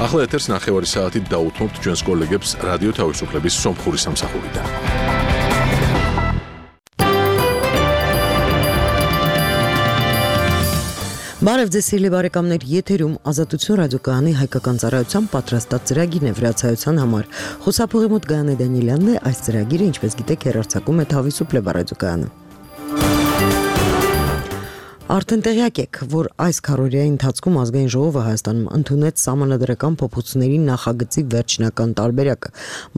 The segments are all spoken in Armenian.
ახლა ეთერს ნახევარი საათით დაუთმობთ ჩვენს კოლეგებს რადიო თავისუფლების სომხური სამსახურიდან. Բարև ձեզ սիրելի բարեկամներ, եթերում Ազատություն ռադիոկայանի հայկական ծառայության պատրաստած ծրագիրն է վրացայության համար։ Խոսափողի մոտ Գայանե Դանիելյանն է, այս ծրագիրը, ինչպես գիտեք, հեռարձակում է Თავისუფლება ռադիոկայանը։ Արդեն տեղյակ եք, որ այս քառօրյայի ընթացքում ազգային ժողովը Հայաստանում ընդունեց սահմանադրական փոփոխությունների նախագծի վերջնական տարբերակը,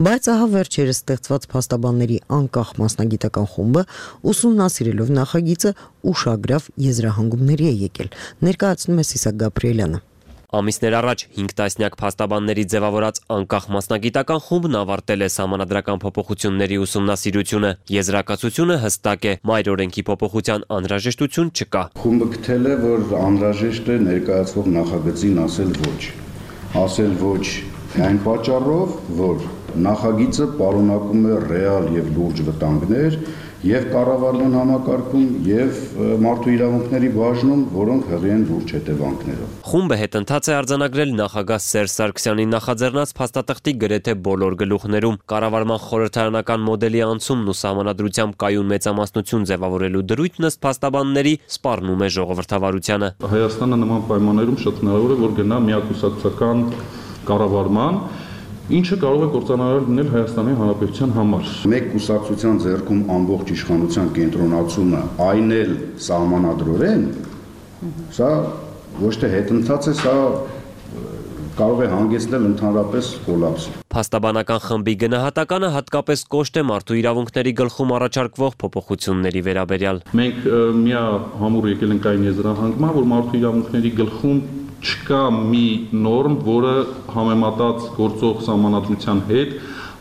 բայց ահա վերջերս ստեղծված փաստաբանների անկախ մասնագիտական խումբը ուսումնասիրելով նախագիծը ուշագրավ եզրահանգումների է եկել, ներկայացնում է Սիսակ Գաբրիելյանը։ Ամիսներ առաջ 5 տասնյակ փաստաբանների ձևավորած անկախ մասնագիտական խումբն ավարտել է սահմանադրական փոփոխությունների ուսումնասիրությունը։ Եզրակացությունը հստակ է՝ մայր օրենքի փոփոխության անհրաժեշտություն չկա։ Խումբը գտել է, որ անհրաժեշտ է ներկայացվող նախագծին ասել ոչ այն պատճառով, որ նախագիծը պարունակում է ռեալ եւ լուրջ վտանգներ եւ կառավարման համակարգում եւ մարդու իրավունքների բաժնում, որոնք հղի են լուրջ հետևանքներով։ Խումբը հետընթաց է արձանագրել նախագահ Սերժ Սարգսյանի նախաձեռնած փաստաթղթի գրեթե բոլոր գլուխներում։ Կառավարման խորհրդարանական մոդելի անցումն ու սահմանադրությամբ կայուն մեծամասնություն ձևավորելու դրույթն ըստ փաստաբանների սպառնում է ժողովրդավարությանը։ Հայաստանը նման պայմաններում շատ հնարավոր է, որ գնա միակուսակցական կառավարման, ինչը կարող է կործանարար լինել Հայաստանի Հանրապետության համար։ Մեկ կուսակցության ձեռքում ամբողջ իշխանության կենտրոնացումը, այն էլ սահմանադրորեն, սա ոչ թե հետընթաց է, սա կարող է հանգեցնել ընդհանրապես կոլապսի։ Փաստաբանական խմբի գնահատականը հատկապես կոշտ է մարդու իրավունքների գլխում առաջարկվող փոփոխությունների վերաբերյալ։ Մենք միահամուռ եկել ենք այն եզրահանգման, որ մարդու իրավունքների գլխում չկա մի նորմ, որը համեմատած գործող սահմանադրության հետ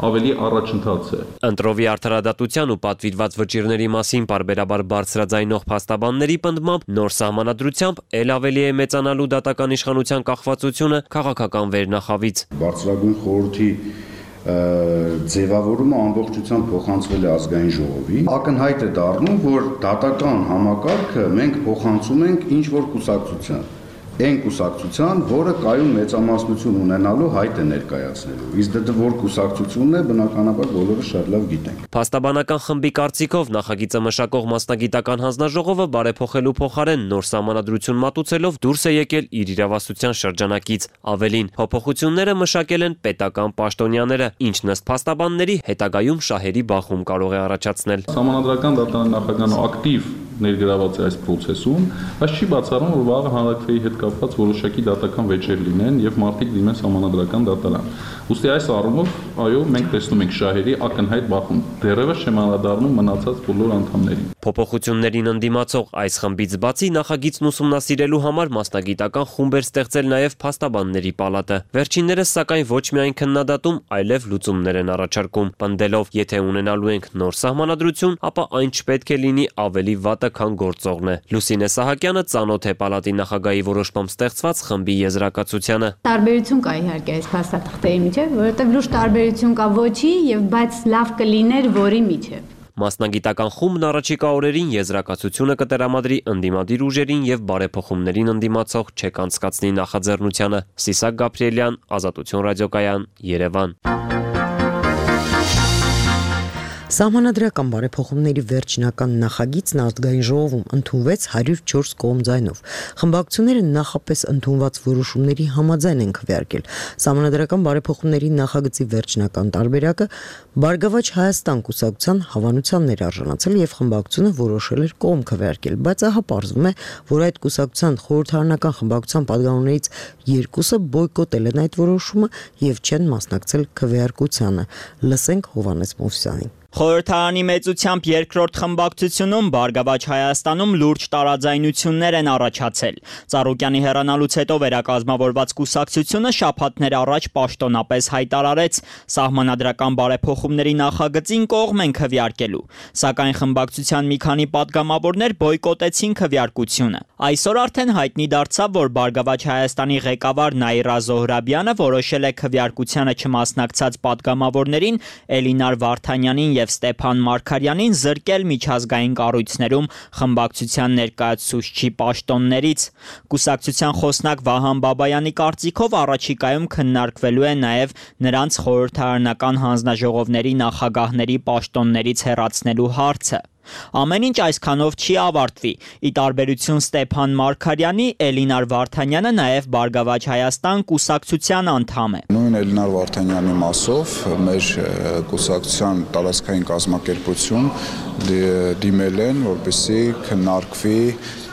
ավելի առաջընթաց է։ Ընտրովի արդարադատության ու պատվիրված վճիռների մասին պարբերաբար բարձրաձայնող փաստաբանների պնդմամբ նոր սահմանադրությամբ ել ավելի է մեծանալու դատական իշխանության կախվածությունը քաղաքական վերնախավից։ Բարձրագույն խորհրդի ձևավորումը ամբողջությամբ փոխանցվել է ազգային ժողովի։ Ակնհայտ է դառնում, որ դատական համակարգը մենք փոխանցում ենք ինչ որ կուսակցության։ Այն կուսակցության, որը կայուն մեծամասնություն ունենալու հայտ է ներկայացնելու։ Իսկ դա որ կուսակցությունն է, բնականաբար բոլորը շատ լավ գիտենք։ Փաստաբանական խմբի կարծիքով նախագիծը մշակող մասնագիտական հանձնաժողովը բարեփոխելու փոխարեն նոր սահմանադրություն մատուցելով դուրս է եկել իր իրավասության շրջանակից։ Ավելին, փոփոխությունները մշակել են պետական պաշտոնյաները, ինչն ըստ փաստաբանների հետագայում շահերի բախում կարող է առաջացնել։ Սահմանադրական դատարանի նախագահը ակտիվ ներգրաված է այս process-ում, բայց չի բացառում, որ վաղը հանրակրթեի հետ կապված որոշակի դատական վեճեր լինեն եւ մարդիկ դիմեն սահմանադրական դատարան։ Ուստի այս առումով, այո, մենք տեսնում ենք շահերի ակնհայտ բախում, դեռևս չեմ անդրադառնում մնացած բոլոր անդամներին։ Փոփոխություններին ընդդիմացող այս խմբից բացի նախագիծն ուսումնասիրելու համար մասնագիտական խումբ էր ստեղծել նաև փաստաբանների պալատը։ Վերջիններս սակայն ոչ միայն քննադատում, այլև լուծումներ են առաջարկում, պնդելով, եթե ունենալու ենք նոր սահմանադրություն, ապա այն չպետք է լինի ավելի վատը, քան գործողն է։ Լուսինե Սահակյանը ծանոթ է պալատի նախագահի որոշմամբ ստեղծված խմբի եզրակացությանը։ Տարբերություն կա իհարկե այս փաստաթղթերի միջև, որովհետև լուրջ տարբերություն կա ոչի եւ բայց լավ կլիներ որի միջև։ Մասնագիտական խումբն առաջիկա օրերին եզրակացությունը կտրամադրի ընդդիմադիր ուժերին եւ բարեփոխումներին ընդդիմացող չեք անցկացնի նախաձեռնությանը։ Սիսակ Գաբրիելյան, Ազատություն ռադիոկայան, Երևան։ Սահմանադրական բարեփոխումների վերջնական նախագիծն ազգային ժողովում ընդունվեց 104 կողմ ձայնով։ Խմբակցությունները նախապես ընդունված որոշումների համաձայն են քվեարկել։ Սահմանադրական բարեփոխումների նախագծի վերջնական տարբերակը Բարգավաճ Հայաստան կուսակցության հավանությանն էր արժանացել եւ խմբակցությունը որոշել էր կողմ քվեարկել, բայց ահա պարզվում է, որ այդ կուսակցության խորհրդարանական խմբակցության падգամավորներից երկուսը բոյկոտել են այդ որոշումը եւ չեն մասնակցել քվեարկությանը։ Լսենք Հովհաննես Մովսյանին։ Խորհրդարանի մեծությամբ երկրորդ խմբակցությունում Բարգավաճ Հայաստանում լուրջ տարաձայնություններ են առաջացել։ Ծառուկյանի հեռանալուց հետո վերակազմավորված կուսակցությունը շաբաթներ առաջ պաշտոնապես հայտարարեց սահմանադրական բարեփոխումների նախագծին կողմ են քվեարկելու, սակայն խմբակցության մի քանի падգամավորներ բոյկոտեցին քվեարկությունը։ Այսօր արդեն հայտնի դարձավ, որ Բարգավաճ Հայաստանի ղեկավար Նաիրա Զոհրաբյանը որոշել է քվեարկությանը չմասնակցած падգամավորներին Էլինար Վարդանյանին եւ եւ Ստեփան Մարգարյանին զրկել միջազգային կառույցներում խմբակցության ներկայացուցչի պաշտոններից։ Կուսակցության խոսնակ Վահան Բաբայանի կարծիքով առաջիկայում քննարկվելու է նաեւ նրանց խորհրդարանական հանձնաժողովների նախագահների պաշտոններից հեռացնելու հարցը։ Ամեն ինչ այսքանով չի ավարտվի։ Ի տարբերություն Ստեփան Մարգարյանի, Էլինար Վարդանյանը նաև Բարգավաճ Հայաստան կուսակցության անդամ է։ Նույն Էլինար Վարդանյանի մասով մեր կուսակցության տարածքային կազմակերպություն դիմել են, որպեսզի քննարկվի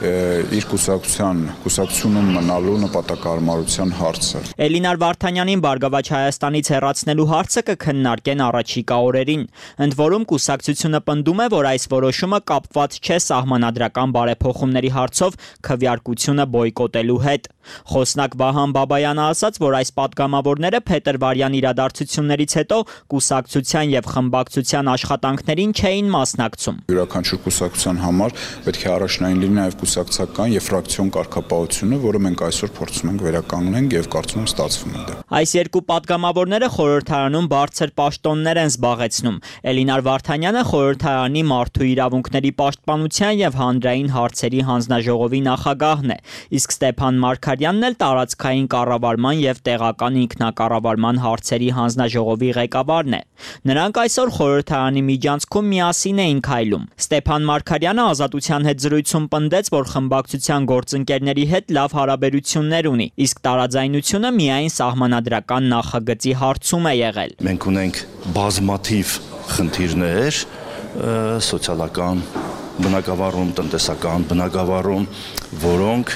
իր կուսակցությունում մնալու նպատակահարմարության հարցը։ Էլինար Վարդանյանին Բարգավաճ Հայաստանից հեռացնելու հարցը կքննարկեն առաջիկա օրերին։ Ընդ որում կուսակցությունը պնդում է, որ այս որոշումը կապված չէ սահմանադրական բարեփոխումների հարցով քվեարկությունը բոյկոտելու հետ։ Խոսնակ Վահան Բաբայանը ասաց, որ այս պատգամավորները փետրվարյան իրադարձություններից հետո կուսակցության եւ խմբակցության աշխատանքներին չէին մասնակցում։ Յուրաքանչյուր կուսակցության համար պետք է առաջնային լինի նաեւ կուսակցական եւ ֆրակցիոն կարգապահությունը, որը մենք այսօր փորձում ենք վերականգնենք եւ կարծում եմ ստացվում է դա։ Այս երկու պատգամավորները խորհրդարանում բարձր պաշտոններ են զբաղեցնում։ Էլինար Վարդանյանը խորհրդարանի մարդու իրավունքների պաշտպանության եւ հանրային հարցերի հանձնաժողովի նախագահն է, իսկ Ստեփան Մարգարյանն էլ տարածքային կառավարման եւ տեղական ինքնակառավարման հարցերի հանձնաժողովի ղեկավարն է։ Նրանք այսօր խորհրդարանի միջանցքում միասին էին քայլում։ Ստեփան Մարգարյանը Ազատության հետ զրույցում պնդեց, որ խմբակցության գործընկերների հետ լավ հարաբերություններ ունի, իսկ տարաձայնությունը միայն սահմանադրական նախագծի հարցում է եղել։ Մենք ունենք բազմաթիվ խնդիրներ սոցիալական բնակավարում, տնտեսական բնակավարում, որոնք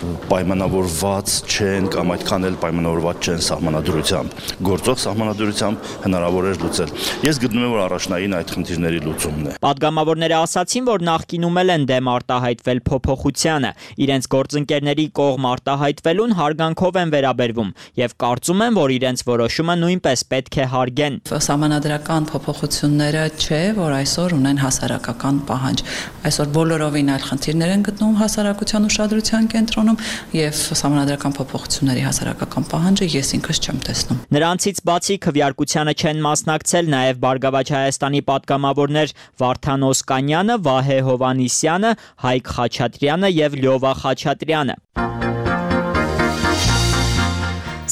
պայմանավորված չեն կամ այդքան էլ պայմանավորված չեն սահմանադրությամբ։ Գործող սահմանադրությամբ հնարավոր է լուծել։ Ես գտնում եմ, որ առաջնային այդ խնդիրների լուծումն է։ Պատգամավորները ասացին, որ նախկինում են դեմ արտահայտվել փոփոխությանը, իրենց գործընկերների կողմ արտահայտվելուն հարգանքով են վերաբերվում եւ կարծում են, որ իրենց որոշումը նույնպես պետք է հարգեն։ Սահմանադրական փոփոխությունները չէ, որ այսօր ունեն հասարակական պահանջ։ Այսօր բոլորովին այլ խնդիրներ են գտնվում հասարակության ուշադրության կենտրոնում եւ սահմանադրական փոփոխությունների հասարակական պահանջը ես ինքս չեմ տեսնում։ Նրանցից բացի քվեարկությանը չեն մասնակցել նաեւ Բարգավաճ Հայաստանի պատգամավորներ Վարդան Օսկանյանը, Վահե Հովանիսյանը, Հայկ Խաչատրյանը եւ Լյովա Խաչատրյանը։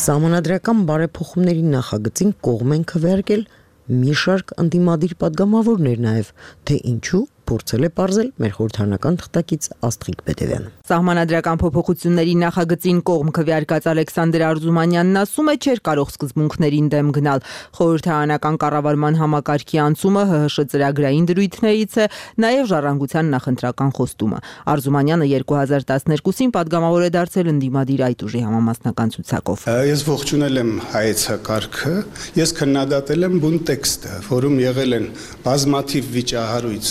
Սահմանադրական բարեփոխումների նախագծին կողմ են քվեարկել մի շարք ընդդիմադիր պատգամավորներ նաեւ, թե ինչու փորձել է պարզել մեր խորհրդարանական թղթակից Աստղիկ Պետևյանը։ Սահմանադրական փոփոխությունների նախագծին կողմ քվեարկած Ալեքսանդր Արզումանյանն ասում է, չէր կարող սկզբունքներին դեմ գնալ։ Խորհրդարանական կառավարման համակարգի անցումը ՀՀՇ ծրագրային դրույթներից է, նաև ժառանգության նախընտրական խոստումը։ Արզումանյանը 2012-ին պատգամավոր է դարձել ընդդիմադիր այդ ուժի համամասնական ցուցակով։ Ես ողջունել եմ հայեցակարգը, ես քննադատել եմ բուն տեքստը, որում եղել են բազմաթիվ վիճահարույց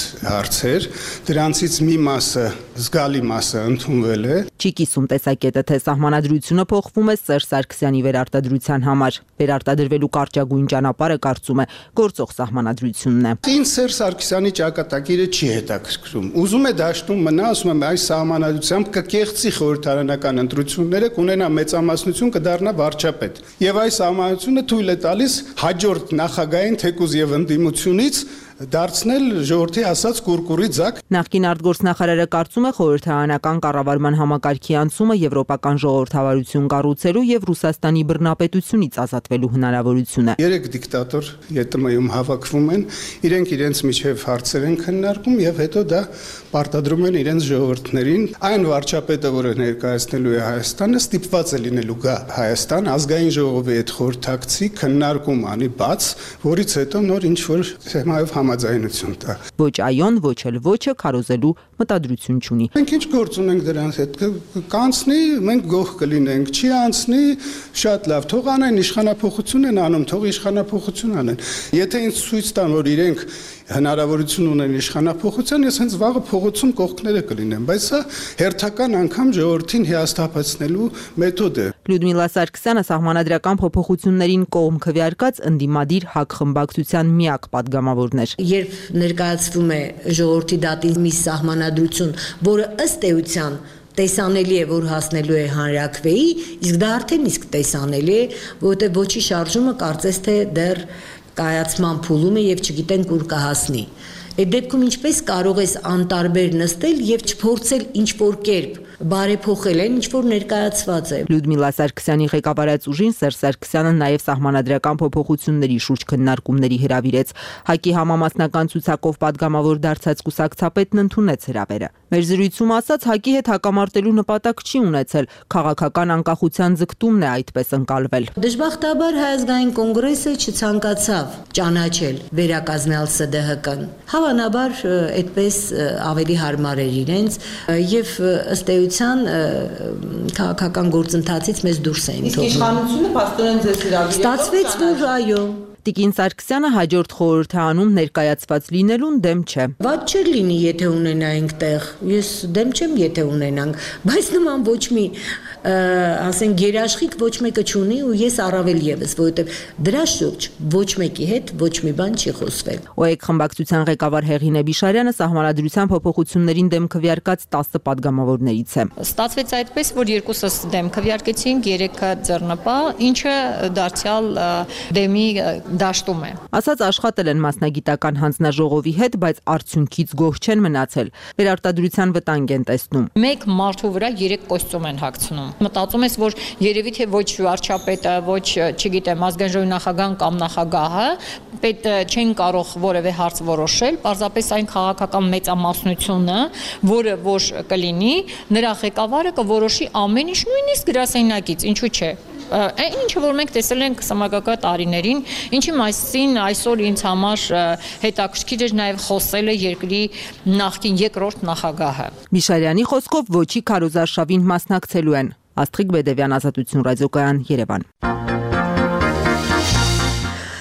հարցեր, դրանցից մի մասը, զգալի մասը ընդունվել է։ Չի կիսում տեսակետը, թե սահմանադրությունը փոխվում է Սերժ Սարգսյանի վերարտադրության համար։ Վերարտադրվելու կարճագույն ճանապարհը կարծում է գործող սահմանադրությունն է։ Ինձ Սերժ Սարգսյանի ճակատագիրը չի հետաքրքրում։ Ուզում է դաշտում մնա, ասում եմ, այս սահմանադրությամբ կկեղծի խորհրդարանական ընտրությունները, կունենա մեծամասնություն, կդառնա վարչապետ։ Եվ այս սահմանադրությունը թույլ է տալիս հաջորդ նախագահային թեկուզ եւ ընդդիմությունից դարձնել ժողովրդի ասած կուրկուրի ձակ։ Նախկին արտգործնախարարը կարծում է խորհրդարանական կառավարման համակարգի անցումը եվրոպական ժողովրդավարություն կառուցելու եւ Ռուսաստանի բռնապետությունից ազատվելու հնարավորությունը։ 3 դիկտատոր ԵՏՄ-ում հավաքվում են, իրենք իրենց միջև հարցեր են քննարկում եւ հետո դա պարտադրում են իրենց ժողովրդներին։ Այն վարչապետը, որը ներկայացնելու է Հայաստանը, ստիպված է լինելու գա Հայաստան ազգային ժողովի հետ խորհրդակցի քննարկում անի բաց, որից հետո նոր ինչ որ թեմայով համաձայնություն տա։ Ոչ այոն, ոչ էլ ոչը քարոզելու մտադրություն չունի։ Մենք ինչ գործ ունենք դրանց հետ, կանցնի, մենք գող կլինենք, չի անցնի, շատ լավ, թող անեն իշխանափոխություն են անում, թող իշխանափոխություն անեն։ Եթե ինձ ցույց տան, որ իրենք հնարավորություն ունեն իշխանափոխության, ես հենց վաղը փողոցում կողքները կլինեմ, բայց սա հերթական անգամ ժողովրդին հիասթափեցնելու մեթոդ է։ Լյուդմիլա Սարգսյանը սահմանադրական փոփոխություններին կողմ քվեարկած ընդդիմադիր ՀԱԿ խմբակցության միակ պատգամավորն էր։ Երբ ներկայացվում է ժողովրդի դատի մի սահմանադրություն, որը ըստ էության տեսանելի է, որ հասնելու է հանրաքվեի, իսկ դա արդեն իսկ տեսանելի է, որովհետև ոչի շարժումը կարծես թե դեռ կայացման փուլում է եւ չգիտենք ուր կհասնի։ Այդ դեպքում ինչպես կարող ես անտարբեր նստել եւ չփորձել ինչ-որ կերպ բարեփոխել այն, ինչ որ ներկայացված է։ Լյուդմիլա Սարգսյանի ղեկավարած ուժին Սերժ Սարգսյանը նաև սահմանադրական փոփոխությունների շուրջ քննարկումների հրավիրեց։ ՀԱԿ-ի համամասնական ցուցակով падգամավոր դարձած կուսակցապետն ընդունեց հրավերը։ Մեր զրույցում ասաց, ՀԱԿ-ի հետ հակամարտելու նպատակ չի ունեցել, քաղաքական անկախության ձգտումն է այդպես ընկալվել։ Դժբախտաբար Հայ ազգային կոնգրեսը չցանկացավ ճանաչել վերակազմյալ ՍԴՀԿ-ն։ Հավանաբար այդպես ավելի հարմար էր իրենց եւ ըստ էության քաղաքական գործընթացից մեզ դուրս էին թողնում։ Իսկ իշխանությունը պաստորեն ձեզ հրավիրել։ Ստացվեց, որ այո։ Տիկին Սարգսյանը հաջորդ խորհրդարանում ներկայացված լինելուն դեմ չէ։ Ված չէր լինի, եթե ունենայինք տեղ։ Ես դեմ չեմ, եթե ունենանք, բայց նման ոչ մի ասենք երաշխիք ոչ մեկը չունի ու ես առավել եւս, որովհետեւ դրա շուրջ ոչ մեկի հետ ոչ մի բան չի խոսվել։ ՕԵԿ խմբակցության ղեկավար Հեղինե Բիշարյանը սահմանադրության փոփոխություններին դեմ քվեարկած 10 падգամավորներից է։ Ստացվեց այդպես, որ երկուսս դեմ քվեարկեցինք, 3-ը ձեռնպահ, ինչը դարձյալ դեմի դաշտում է։ Ասած աշխատել են մասնագիտական հանձնաժողովի հետ, բայց արդյունքից գոհ չեն մնացել։ Վերարտադրության վտանգ են տեսնում։ Մեկ մարդու վրա 3 կոստյում են հագցնում։ Մտածում ես, որ երևի թե ոչ վարչապետը, ոչ, չգիտեմ, ազգային ժողովի նախագահան կամ նախագահը պետ չեն կարող որևէ հարց որոշել, պարզապես այն քաղաքական մեծամասնությունը, որը որ կլինի, նրա ղեկավարը կորոշի ամեն ինչ, նույնիսկ գրասենյակից, ինչու՞ չէ։ Ինչը որ մենք տեսել ենք սմագակա տարիներին, ինչի մասին այսօր ինձ համար հետաքրքիր էր նաև խոսել է երկրի նախկին երկրորդ նախագահը։ Միշարյանի խոսքով ոչի քարոզարշավին մասնակցելու են։ Աստղիկ Բեդևյան, Ազատություն ռադիոկայան, Երևան։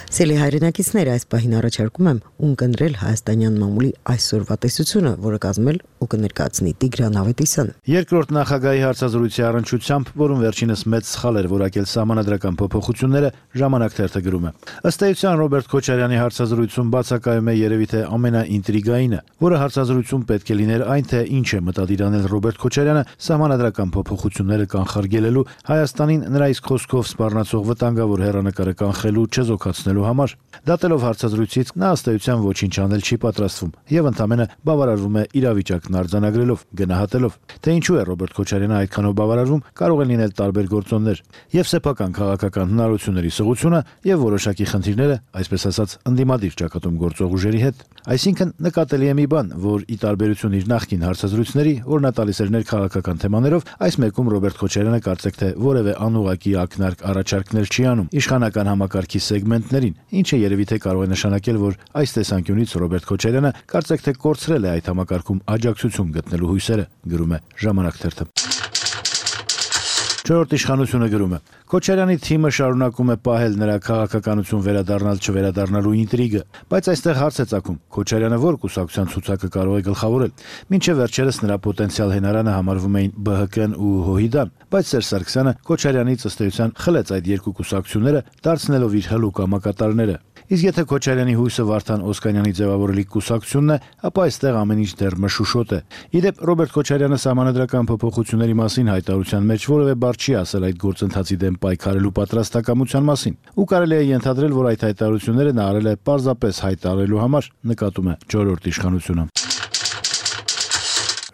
Սելի հայրենակիցներ, այս պահին առաջարկում եմ ունկնդրել հայաստանյան մամուլի այսօրվա տեսությունը, որը կազմել ու կներկայացնի Տիգրան Ավետիսյանը։ Երկրորդ նախագահի հարցազրույցի առնչությամբ, որում վերջինս մեծ սխալ էր որակել սահմանադրական փոփոխությունները, Ժամանակ թերթը գրում է. Ըստ էության Ռոբերտ Քոչարյանի հարցազրույցում բացակայում է երևի թե ամենաինտրիգայինը, որը հարցազրույցում պետք է լիներ այն, թե ինչ է մտադիր անել Ռոբերտ Քոչարյանը սահմանադրական փոփոխությունները կանխարգելելու, Հայաստանին նրա իսկ խոսքով սպառնացող վտանգավոր հեռանկարը կանխելու, չեզոքացնելու համար։ Դատելով հարցազրույցից նա ըստ էության ոչինչ անել չի պատրաստվում եւ ընդամենը բավարարվում է իրավիճակն արձանագրելով, գնահատելով, թե ինչու է Ռոբերտ Քոչարյանը այդքանով բավարարվում, կարող են լինել տարբեր գործոններ եւ սեփական քաղաքական հնարավորությունների սղությունը եւ որոշակի խնդիրները, այսպես ասած, ընդդիմադիր ճակատում գործող ուժերի հետ։ Այսինքն նկատելի է մի բան, որ ի տարբերություն իր նախկին հարցազրույցների, որ նա տալիս էր ներքաղաքական թեմաներով, այս մեկում Ռոբերտ Քոչարյանը կարծեք թե որևէ անուղղակի ակնարկ առաջարկներ չի անում իշխանական համակարգի սեգմենտներին, ինչը երևի թե կարող է նշանակել, որ այս տեսանկյունից Ռոբերտ Քոչարյանը կարծեք թե կորցրել է այդ համակարգում աջակցություն գտնելու հույսերը, գրում է Ժամանակ թերթը։ Չորրորդ իշխանությունը գրում է. Քոչարյանի թիմը շարունակում է պահել նրա քաղաքականություն վերադառնալ չվերադառնալու ինտրիգը, բայց այստեղ հարց է ծագում. Քոչարյանը ո՞ր կուսակցության ցուցակը կարող է գլխավորել։ Մինչև վերջերս նրա պոտենցիալ հենարանը համարվում էին ԲՀԿ-ն ու ՀՅԴ-ն, բայց Սերժ Սարգսյանը Քոչարյանից ըստ էության խլեց այդ երկու կուսակցությունները, դարձնելով իր հլուկ համակատարները։ Իսկ եթե Քոչարյանի հույսը Վարդան Օսկանյանի ձևավորելիք կուսակցությունն է, ապա այստեղ ամեն ինչ դեռ մշուշոտ է։ Իդեպ Ռոբերտ Քոչարյանը սահմանադրական փոփոխությունների մասին հայտարարության մեջ որևէ բառ չի ասել այդ գործընթացի դեմ պայքարելու պատրաստակամության մասին։ Ու կարելի է ենթադրել, որ այդ հայտարարությունները նա արել է պարզապես հայտարարելու համար, նկատում է Չորրորդ իշխանությունը։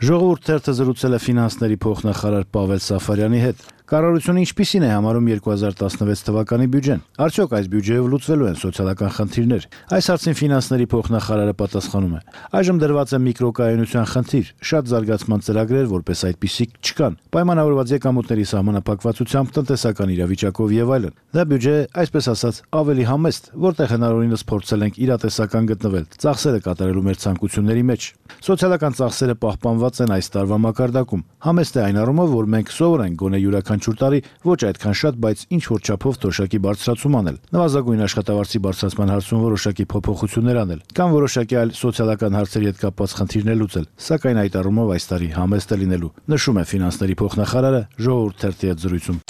Ժողովուրդ թերթը զրուցել է ֆինանսների փոխնախարար Պավել Սաֆարյանի հետ։ Կառավարությունը ինչպիսին է համարում 2016 թվականի բյուջեն։ Արդյոք այս բյուջեով լուծվելու են սոցիալական խնդիրներ։ Այս հարցին ֆինանսների փոխնախարարը պատասխանում է. այժմ դրված է միկրոկայունության խնդիր, շատ զարգացման ծրագրեր, որպես այդպիսիք չկան, պայմանավորված եկամուտների սահմանափակվածությամբ, տնտեսական իրավիճակով եւ այլն։ Դա բյուջե է, այսպես ասած, ավելի համեստ, որտեղ հնարավորինս փորձել ենք իրատեսական գտնվել, ծախսերը կատարելու մեր ցանկությունների մեջ։ Սոցիալական ծախսերը պահպանված են այս տարվա մակարդակում։ Համեստ է այն առումով, որ մենք սովոր ենք գոնե յուրաքանչյուր տարի ոչ այդքան շատ, բայց ինչ որ չափով թոշակի բարձրացում անել, նվազագույն աշխատավարձի բարձրացման հարցում որոշակի փոփոխություններ անել, կամ որոշակի այլ սոցիալական հարցերի հետ կապված խնդիրներ լուծել, սակայն այդ առումով այս տարի համեստ է լինելու, նշում է ֆինանսների փոխնախարարը Ժողովուրդ թերթի հետ զրույցում։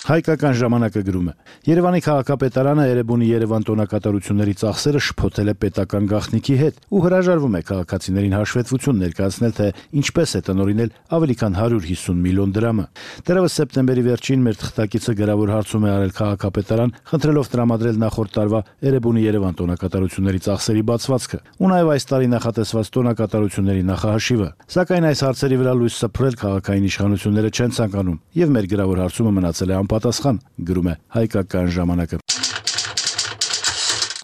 Հայկական ժամանակը գրում է. Երևանի քաղաքապետարանը Էրեբունի Երևան տոնակատարությունների ծախսերը շփոթել է պետական գաղտնիքի հետ ու հրաժարվում է քաղաքացիներին հաշվետվություն ներկայացնել, թե ինչպես է տնօրինել ավելի քան 150 միլիոն դրամը։ Դեռևս սեպտեմբերի վերջին մեր թղթակիցը գրավոր հարցում է արել քաղաքապետարան, խնդրելով տրամադրել նախորդ տարվա Էրեբունի Երևան տոնակատարությունների ծախսերի բացվածքը ու նաև այս տարի նախատեսված տոնակատարությունների նախահաշիվը։ Սակայն այս հարցերի վրա լույս սփռել քաղաքային իշխանությունները չեն ցանկանում, եւ մեր գրավոր հարցումը մնացել է անպատասխան, գրում է Հայկական ժամանակը։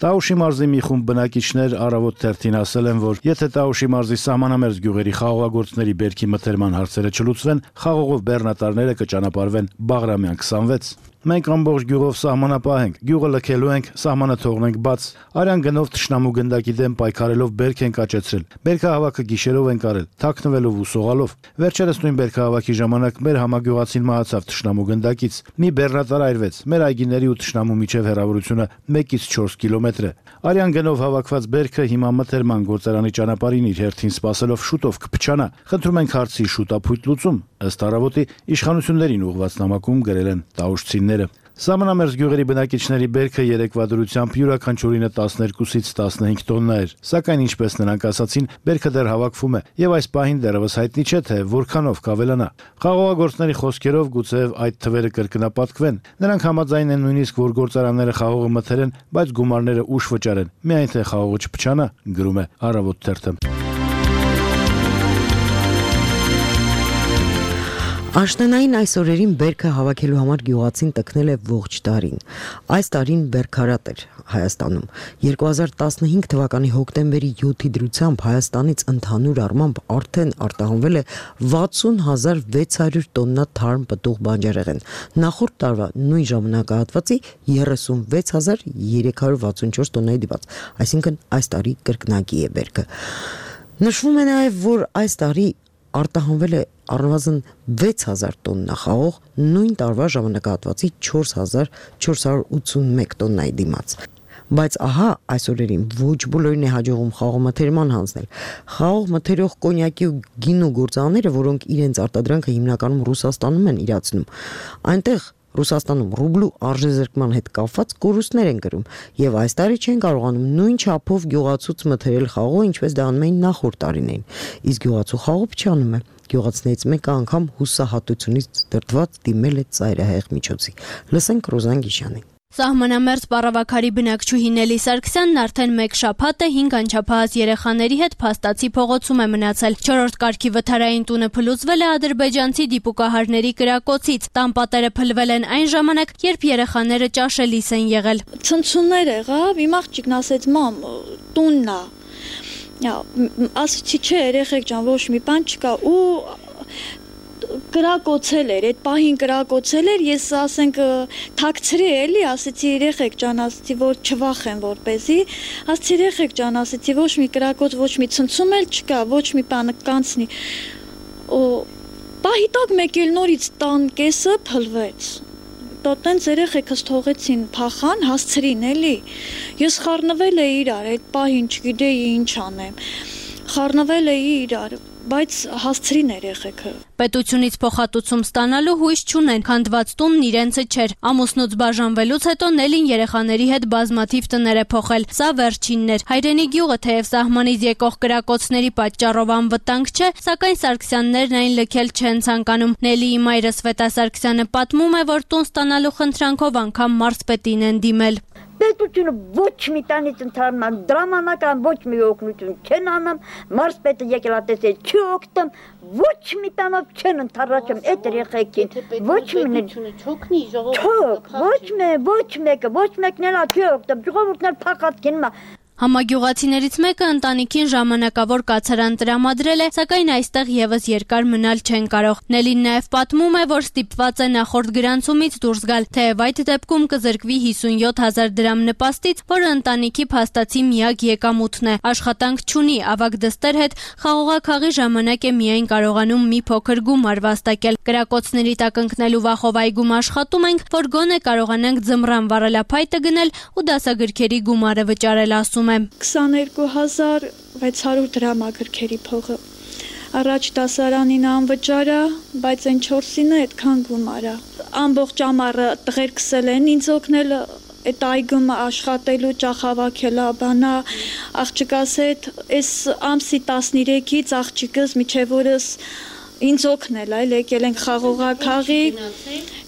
Տաուշի մարզի մի խումբ բնակիչներ Առավոտ թերթին ասել են, որ եթե Տաուշի մարզի սահմանամերձ գյուղերի խաղողագործների բերքի մթերման հարցերը չլուծվեն, խաղողով բեռնատարները կճանապարհվեն Բաղրամյան 26։ Մենք ամբողջ գյուղով սահմանապահ ենք, գյուղը լքելու ենք, սահմանը թողնենք բաց, արյան գնով թշնամու գնդակի դեմ պայքարելով բերք ենք աճեցրել, բերքահավաքը գիշերով ենք արել, թաքնվելով ու սողալով։ Վերջերս նույն բերքահավաքի ժամանակ մեր համագյուղացին մահացավ թշնամու գնդակից, մի բեռնատար այրվեց, մեր այգիների ու թշնամու միջև հեռավորությունը 1-ից 4 կիլոմետր է։ Արյան գնով հավաքված բերքը հիմա մթերման գործարանի ճանապարհին իր հերթին սպասելով շուտով կփչանա։ Խնդրում ենք հարցի շուտապույտ լուծում, ըստ Առավոտի իշխանություններին ուղղված նամակում գրել են տաուշցիները։ Սահմանամերձ գյուղերի բնակիչների բերքը երեկվա դրությամբ յուրաքանչյուրինը 12-ից 15 տոննա էր, սակայն ինչպես նրանք ասացին, բերքը դեռ հավաքվում է եւ այս պահին դեռևս հայտնի չէ, թե որքանով կավելանա։ Խաղողագործների խոսքերով գուցեև այդ թվերը կրկնապատկվեն։ Նրանք համաձայն են նույնիսկ, որ գործարանները խաղողը մթերեն, բայց գումարները ուշ վճարեն, միայն թե խաղողը չփչանա, գրում է Առավոտ թերթը։ Աշնանային այս օրերին բերքը հավաքելու համար գյուղացին տքնել է ողջ տարին։ Այս տարին բերքարատ էր Հայաստանում։ 2015 թվականի հոկտեմբերի 7-ի դրությամբ Հայաստանից ընդհանուր առմամբ արդեն արտահանվել է 60,600 տոննա թարմ պտուղ բանջարեղեն։ Նախորդ տարվա նույն ժամանակահատվածի 36,364 տոննայի դիպաց, այսինքն այս տարի կրկնակի է բերքը։ Նշվում է նաև, որ այս տարի արտահանվել է առնվազն 6000 տոննա խաղող, նույն տարվա ժամանակահատվածի 4481 տոննայի դիմաց։ Բայց ահա այս օրերին ոչ բոլորին է հաջողում խաղողմթերման հանձնել։ Խաղող մթերող կոնյակի ու գինու գործարանները, որոնք իրենց արտադրանքը հիմնականում Ռուսաստանում են իրացնում, այնտեղ Ռուսաստանում ռուբլու արժեզրկման հետ կապված կորուստներ են կրում եւ այս տարի չեն կարողանում նույն չափով գյուղացուց մթերել խաղողը, ինչպես դա անում էին նախորդ տարիներին։ Իսկ գյուղացու խաղողը փչանում է։ Գյուղացիներից մեկը անգամ հուսահատությունից դրդված դիմել է ծայրահեղ միջոցի։ Լսենք Ռոզան Գիշյանին։ Սահմանամերձ պարավաքարի բնակչուհի Նելի Սարգսյանն արդեն մեկ շաբաթ է 5 անչափահաս երեխաների հետ Փաստացի փողոցում է մնացել։ 4-րդ կարգի վթարային տունը փլուզվել է ադրբեջանցի դիպուկահարների կրակոցից։ Տան պատերը փլվել են այն ժամանակ, երբ երեխաները ճաշելիս են եղել։ Ցնցումներ եղավ, իմ աղջիկն ասեց՝ «Մամ, տունն է»։ Ասեցի՝ «Չէ, երեխեք ջան, ոչ մի բան չկա» ու կրակոցել էր, այդ պահին կրակոցել էր, ես ասենք թաքցրի էլի, ասեցի երեխեք ջան, ասեցի որ չվախեն որպեսի, ասեցի երեխեք ջան, ասեցի ոչ մի կրակոց, ոչ մի ցնցում էլ չկա, ոչ մի բան կանցնի։ Պահի տակ մեկ էլ նորից տան կեսը փլվեց։ Տոտենց երեխեքս թողեցին փախան, հասցրին էլի։ Ես խառնվել էի իրար, այդ պահին չգիտեի ինչ անեմ։ Խառնվել էի իրար, բայց հասցրին երեխեքը։ Պետությունից փոխհատուցում ստանալու հույս չունեն, քանդված տունն իրենցը չէր։ Ամուսնուց բաժանվելուց հետո Նելին երեխաների հետ բազմաթիվ տներ է փոխել։ Սա վերջինն էր։ Հայրենի գյուղը թեև սահմանից եկող կրակոցների պատճառով անվտանգ չէ, սակայն Սարգսյաններն այն լքել չեն ցանկանում։ Նելիի մայրը Սվետա Սարգսյանը պատմում է, որ տուն ստանալու խնդրանքով անգամ մարզպետին են դիմել։ Պետությունը ոչ մի տանից ընդհանրան դրամանական ոչ մի օգնություն չեն անում, մարզպետը եկել ատեսել չի օգտում, ոչ մի տանով չեն ընդառաջում այդ երեխեքին, ոչ մեկը, ոչ մեկն էլ չի օգտում, ժողովուրդն էլ փախած գնում է։ Համագյուղացիներից մեկը ընտանիքին ժամանակավոր կացարան տրամադրել է, սակայն այստեղ եւս երկար մնալ չեն կարող։ Նելին նաեւ պատմում է, որ ստիպված է նախորդ գրանցումից դուրս գալ, թեև այդ դեպքում կզրկվի 57,000 դրամ նպաստից, որը ընտանիքի փաստացի միակ եկամուտն է։ Աշխատանք չունի, ավագ դստեր հետ խաղողաքաղի ժամանակ է միայն կարողանում մի փոքր գումար վաստակել։ Կրակոցների տակ ընկնելու վախով այգում աշխատում ենք, որ գոնե կարողանանք ձմռան վառելափայտը գնել ու դասագրքերի գումարը վճարել, ասում 22,600 դրամ ագրքերի փողը։ Առաջ դասարանին անվճար է, բայց այն 4-ինը այդքան գումար է։ Ամբողջ ամառը տղերքս են ինձ օգնել այդ այգում աշխատելու, ճախավակելա, բանա, աղջկաս հետ, այս ամսի 13-ից աղջիկս միջև օրս ինձ օգնել այլ եկել ենք խաղողակաղի,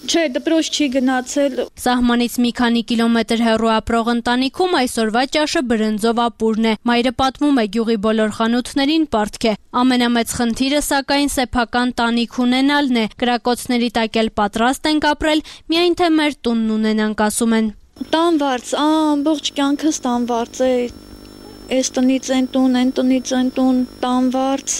չէ, դպրոց չի գնացել։ Սահմանից մի քանի կիլոմետր հեռու ապրող ընտանիքում այսօրվա ճաշը բրնձով ապուրն է։ Մայրը պատմում է գյուղի բոլոր խանութներին պարտք է։ Ամենամեծ խնդիրը սակայն սեփական տանիք ունենալն է։ Կրակոցների տակ էլ պատրաստ ենք ապրել, միայն թե մեր տունն ունենանք, ասում են։ Տանվարձ, ամբողջ կյանքս տանվարձ է։ Այս տնից են տուն, այն տնից են տուն, տանվարձ,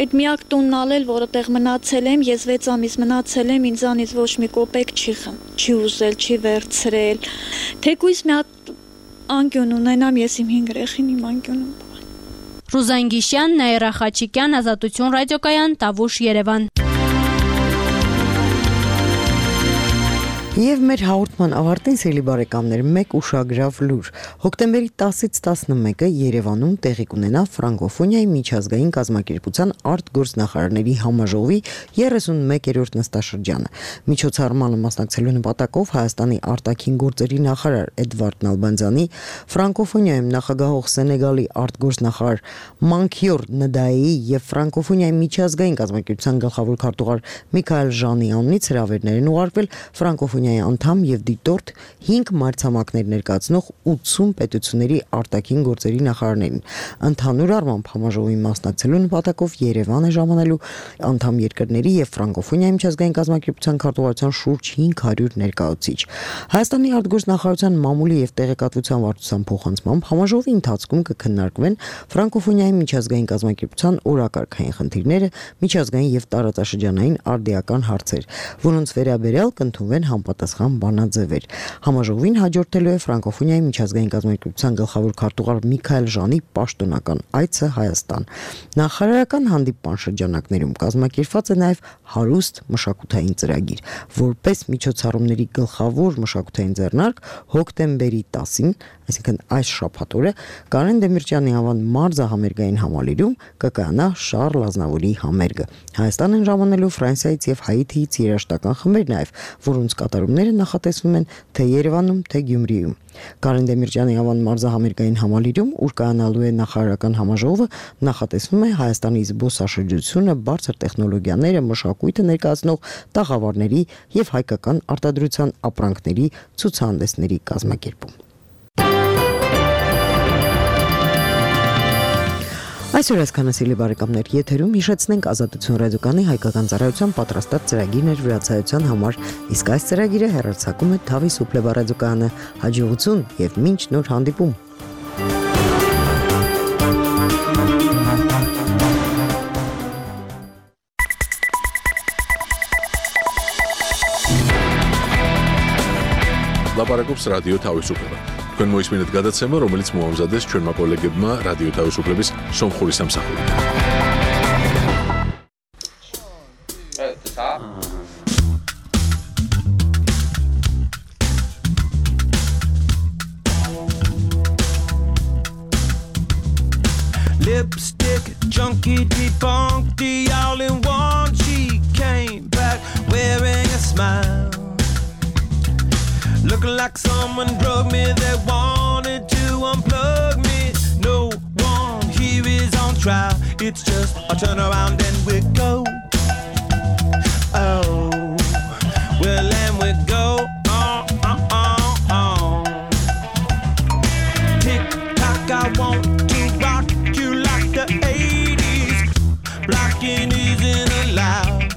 այդ միակ տունն ալել, որը տեղ մնացել եմ, ես 6 ամիս մնացել եմ, ինձանից ոչ մի կոպեկ չի ուզել, չի վերցրել, թեկույս մի հատ անկյուն ունենամ, ես իմ 5 երեխին իմ անկյունում։ Ռուզան Գիշյան, Նաիրա Խաչիկյան, Ազատություն ռադիոկայան, Տավուշ, Երևան։ Եվ մեր հաղորդման ավարտին, սիրելի բարեկամներ, մեկ ուշագրավ լուր։ Հոկտեմբերի 10-ից 11-ը Երևանում տեղի կունենա ֆրանկոֆոնիայի միջազգային կազմակերպության արտգործնախարարների համաժողովի 31-րդ նստաշրջանը։ Միջոցառմանը մասնակցելու նպատակով Հայաստանի արտաքին գործերի նախարար Էդվարդ Նալբանդյանի, ֆրանկոֆոնիայում նախագահող Սենեգալի արտգործնախարար Մանքյոր Նդայեի եւ ֆրանկոֆոնիայի միջազգային կազմակերպության գլխավոր քարտուղար Միքայել Ժանի անունից հրավերներ են ուղարկվել ֆրանկոֆոնիայի անդամ եւ դիտորդ 5 մայրցամաքներ ներկայացնող 80 պետությունների արտաքին գործերի նախարարներին։ Ընդհանուր առմամբ համաժողովին մասնակցելու նպատակով Երևան է ժամանելու անդամ երկրների եւ ֆրանկոֆոնիայի միջազգային կազմակերպության քարտուղարության շուրջ 500 ներկայացուցիչ։ Հայաստանի արտգործնախարարության մամուլի եւ տեղեկատվության վարչության փոխանցմամբ համաժողովի ընթացքում կքննարկվեն ֆրանկոֆոնիայի միջազգային կազմակերպության օրակարգային խնդիրները, միջազգային եւ տարածաշրջանային արդիական հարցեր, որոնց վերաբերյալ կընդունվեն համապատասխան բանաձևեր։ Համաժողովին հաջորդելու է ֆրանկոֆոնիայի միջազգային կազմակերպության գլխավոր քարտուղար Միքայել Ժանի պաշտոնական այցը Հայաստան։ Նախարարական հանդիպման շրջանակներում կազմակերպված է նաև հարուստ մշակութային ծրագիր, որպես միջոցառումների գլխավոր մշակութային ձեռնարկ հոկտեմբերի 10-ին, այսինքն այս շաբաթօրը, Կարեն Դեմիրճյանի անվան մարզահամերգային համալիրում կկայանա Շառլ Ազնավուրի համերգը։ Հայաստան են ժամանելու Ֆրանսիայից եւ Հայիթիից երաժշտական խմբեր նաև, որոնց կատարումները նախատեսվում են թե Երևանում, թե Գյումրիում։ Կարեն Դեմիրճյանի անվան մարզահամերգային համալիրում, ուր կայանալու է նախարարական համաժողովը, նախատեսվում է Հայաստանի զբոսաշրջությունը, բարձր տեխնոլոգիաները, մշակույթը ներկայացնող տաղավարների եւ հայկական արտադրության ապրանքների ցուցահանդեսների կազմակերպում։ Այսօր այսքանը, սիրելի բարեկամներ, եթերում հիշեցնենք Ազատություն ռադիոկայանի հայկական ծառայության պատրաստած ծրագիրներ վրացայության համար, իսկ այս ծրագիրը հեռարձակում է Թավի Սուպլեվա ռադիոկայանը։ Հաջողություն եւ մինչ նոր հանդիպում։ Լապարակոպս ռադիո Թավիսուպլեվա։ Քան մոյս մինետ գադացեմը, რომელიც մոհամզադես չոր մակոլեգեբմա ռադիո Թավիսուպլեվիս Սոմխորի Սամսախուրի։ Lipstick junkie debunked the all-in-one. She came back wearing a smile, looking like someone drugged me. They wanted to unplug me. No one here is on trial. It's just a turn around and we go. Oh, well, and we go. Tick tock, I want to rock you like the 80s. Blocking isn't allowed.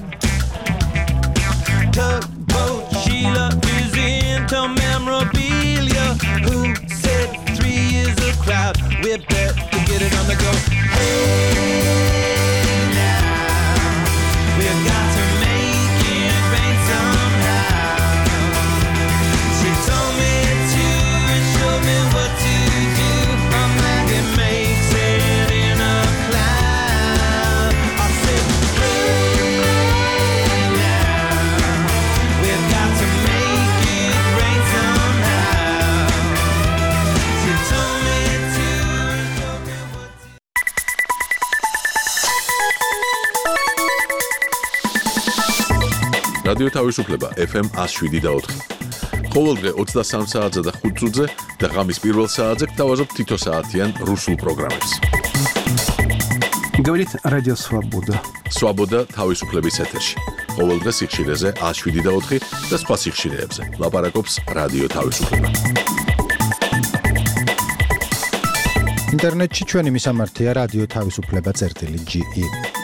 Tugboat Sheila is into memorabilia. Who said 3 is a crowd? We're better to get it on the go. Hey, now we've got to make it rain somehow. She told me to and showed me what to do. It makes it in a cloud. I said, hey, now we've got to make it rain somehow. She told me to and showed me what to do. რადიო თავისუფლება FM 107.4. ყოველდღე 23 საათზე და 5 წუთზე და ღამის პირველ საათზე გთავაზობ თითო საათიან რუსულ პროგრამებს. Говорит Радио Свобода. Свобода თავისუფლების ეთერში. ყოველდღე სიხშირეზე 107.4 და სხვა სიხშირეებზე. ლაპარაკობს რადიო თავისუფლება. ინტერნეტში ჩვენი მისამართია რადიო თავისუფლება.ge